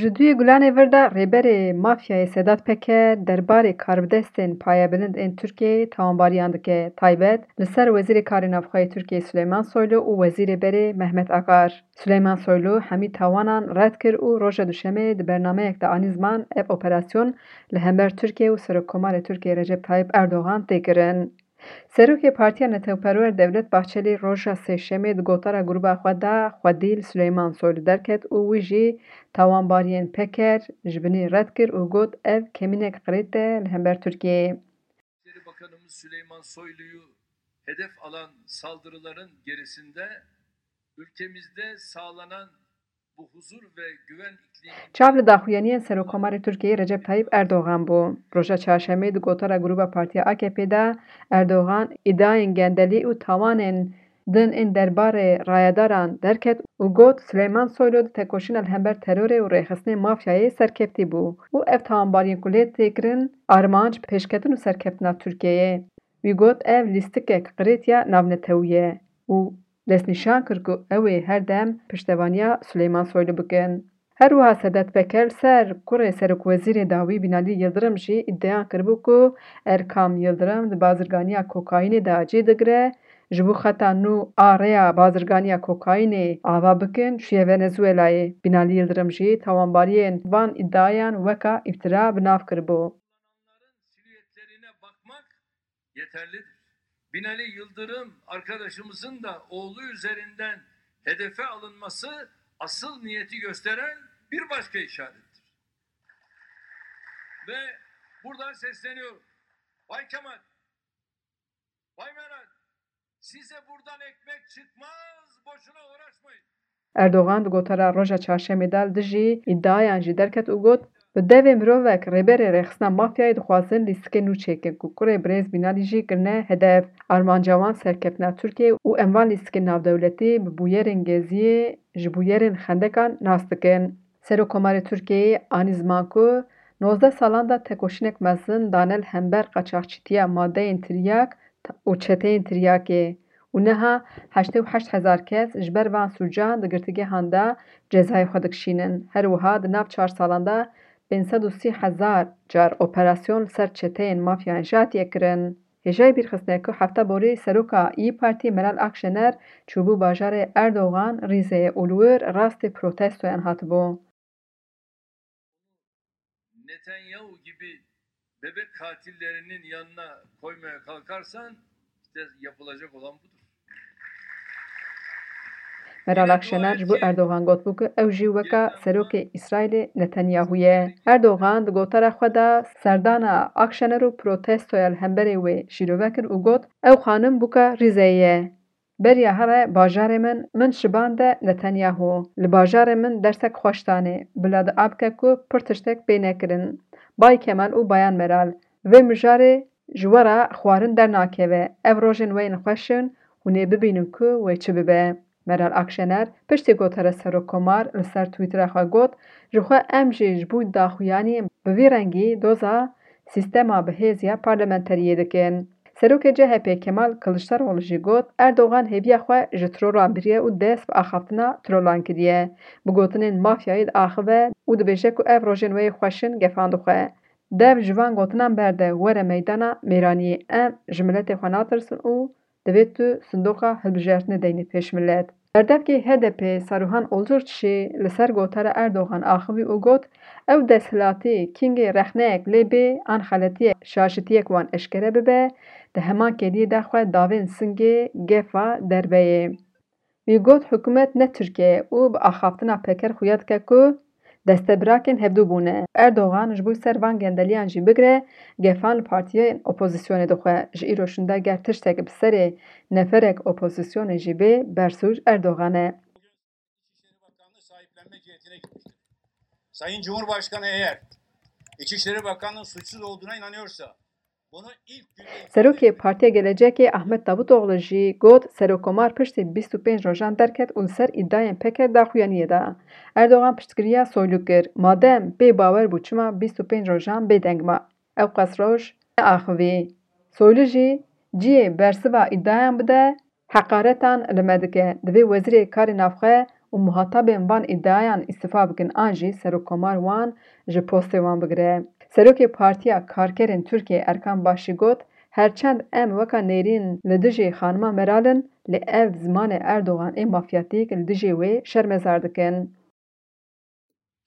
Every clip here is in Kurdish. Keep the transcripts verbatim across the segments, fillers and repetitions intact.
Ji duyê Gulanê vir de Rêberê Mafyayê Sedat Peker derbarê karbidestên payebilind ên Tirkiyeyê tawanbariyan dike, taybet li ser Wezîrê Karê Navxwe yê Tirkiyeyê Suleyman Soylu û Wezîrê Berê Mehmet Akar. Suleyman Soylu hemî tawanan red kir û roja Duşemê di bernameyek de anî ziman ev operasyon li hember Tirkiye û Serokkomarê Tirkiyê Recep Tayyip Erdogan tê kirin. Serokê Partiya Netewperwer Devlet Bahçelî roja Sêşemê di gotara grûba xwe de xwedî li Suleyman Soylu derket û wî jî tawanbariyên Peker ji binî red kir û got, ev kemînek qirêt e li hember Tirkiyeyê. Bakanımız Süleyman Soylu'yu hedef alan saldırıların gerisinde ülkemizde sağlanan Çav li daxuyaniyên Serokkomarê Tirkiyeyê Recep Tayyip Erdogan bû. Roja Çarşemê di gotara grûba Partiya A K P de Erdogan îdiayên gendelî û tawanên din ên derbarê rayedaran derket û got, Suleyman Soylu di tekoşîna li hember terorê û rêxistinê mafyayê serkevtî bû û ev tawanbariyên ku lê tê kirin armanc pêşketin û serkeftina Tirkiyeyê. Wî got, ev lîstikek qirêt ya navnetewî ye û destnîşan kir ku ew ê her dem piştevaniya Suleyman Soylu bikin. Her wiha Sedat Peker li ser kurê serokwezîrê dawî Binalî Yildirim jî îdiayan kiribû ku Erkam Yildirim di bazirganiya kokaînê de cî digire, ji bo xeta nû a rêya bazirganiya kokaînê ava bikin, çûye Venezuelayê. Binalî Yildirim jî tawanbariyên van îdiayan weka îftira bi nav kiribû. Silüetlerine bakmak yeterlidir. Binali Yıldırım arkadaşımızın da oğlu üzerinden hedefe alınması asıl niyeti gösteren bir başka işarettir. Ve buradan sesleniyorum. Bay Kemal, Bay Meral, size buradan ekmek çıkmaz, boşuna uğraşmayın. Erdogan di gotara roja çarşemê de li dijî îdiayan jî derket û got, bi devê mirovek rêberê rêxistina mafyayê dixwazin lîstikê nû çêkin ku kurê birêz Binalî jî kirine hedef. Armanca wan serkeftina Tirkiyeyê û em van lîstikên navdewletî bi bûyerên Geziyê ji bûyerên xendekan nas dikin. Serokkomarê Tirkiyeyê anî ziman ku nozdeh salan de tekoşînek mezin dane li hember qaçaxçîtiya madeyên tiryak û çeteyên tiryakê û niha heştê û heşt hezar kes ji ber van sûcan di girtîgehan de cezayê xwe dikişînin. Her wiha di nav çar salan de pênc sed û sî hezar car operasyon li ser çeteyên mafyayan jî hatiye kirin. Hêjayî bîrxistinê ku hefta borî seroka İYİ Partî Meral Akşener çûbû bajarê Erdogan Rîzeyê û li wir rastê protestoyan hatibû. Netanyahu gibi bebek katillerinin yanına koymaya kalkarsan işte yapılacak olan budur. Meral Akşener ji bo Erdogan gotibû ku ew jî weka serokê Îsraîlê Netanyahu ye. Erdogan di gotara xwe de serdana Akşener û protestoya li hemberê wê şîrove kir û got, ew xanim bûka Rîzeyê ye. Beriya here bajarê min, min şibande Netanyahu. Li bajarê min dersek xweş danê. Bila dua bike ku pir tiştek pê nekirin. Bay Kemal û Bayan Meral, vê mijarê ji we re xwarin dernakeve. Ev rojên we yên xweş in, hûn ê bibînin ku wê çi bibe. Meral Akşener piştî gotara Serokkomar li ser Twittera xwe got, ji xwe em jî ji bo daxuyaniyên bi vî rengî doza sîstema bihêz ya parlamenteriyê dikin. Serokê C H P Kemal Kiliçdaroglu jî got, Erdogan hêviya xwe ji trolan biriye û dest bi axaftina trolan kiriye. Bi gotinên mafyayê diaxive û dibêje ku ev rojên wê yê xweş in gefan dixwe. Dev ji van gotinan berde were meydana mêraniyê. Em ji miletê xwe natirsin û divê tu sindoqa hilbijartinê deynî pêş milet. Berdevkê H D P Saruhan Olturç jî li ser gotara Erdogan axivî û got, ew desthilatî kîngê rexneyek lê bê an xeletiyek şaşitiyek wan eşkere bibe, di heman kêliyê de xwe davên singê gefa derve yê. Wî got, hikûmet ne Tirkiye ye û bi axaftina Peker xuya dike ku destebirakên hevdû bûne. Erdogan ji bo ser van gendeliyan jî bigire, gefan li partiyên opozisyonê dixwe. Ji îro şûnde ger tiştek bi serê neferek opozisyonê jî bê, bersûc Erdogan e. İçişleri Bakanlığı sahiplenme cihetine gitmiştir. Sayın Cumhurbaşkanı eğer İçişleri Bakanı'nın suçsuz olduğuna inanıyorsa, Serokê Partiya Gelecekê Ahmet Davutoglu jî got, Serokkomar piştî bîst û pênc rojan derket û li ser îdiayên Peker daxuyaniyê da. Erdogan piştgiriya Soylu kir, madem bê bawer bû çima bîst û pênc rojan bêdeng ma? Ew qas roj neaxivî. Soylu jî cihê bersiva îdiayan bide, heqaretan li me dike. Divê Wezîrê Karê Navxwe û û muhatabên van îdiayan îstifa bikin an jî Serokkomar wan ji postê wan bigire. Serokê Partiya Karkerên Tirkiyê Erkan Baş jî got, her çend em weka nêrîn li dijî xanima Meral in, lê ev zimanê Erdogan ê mafyatîk li dijî wê şermezar dikin.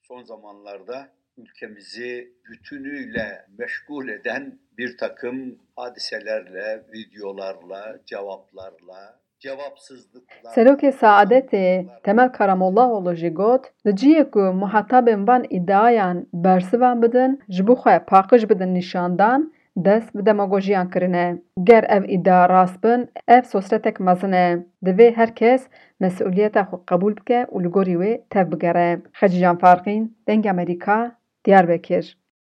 Son zamanlarda ülkemizi bütünüyle meşgul eden bir takım hadiselerle, videolarla, cevaplarla, cevapsızlıklarla. Serokê Saadetê Temel Karamollaoğlu jî got, li cihê ku muhatabên van îdiayan bersivan bidin, ji bo xwe paqij bidin nîşandan, dest bi demagojiyan kirine. Ger ev îdia rast bin, ev sosretek mezin e. Divê her kes mesûliyeta xwe qebûl bike û li gorî wê tev bigere. Xecîcan Farqîn, Dengê Amerîka, Diyarbekir.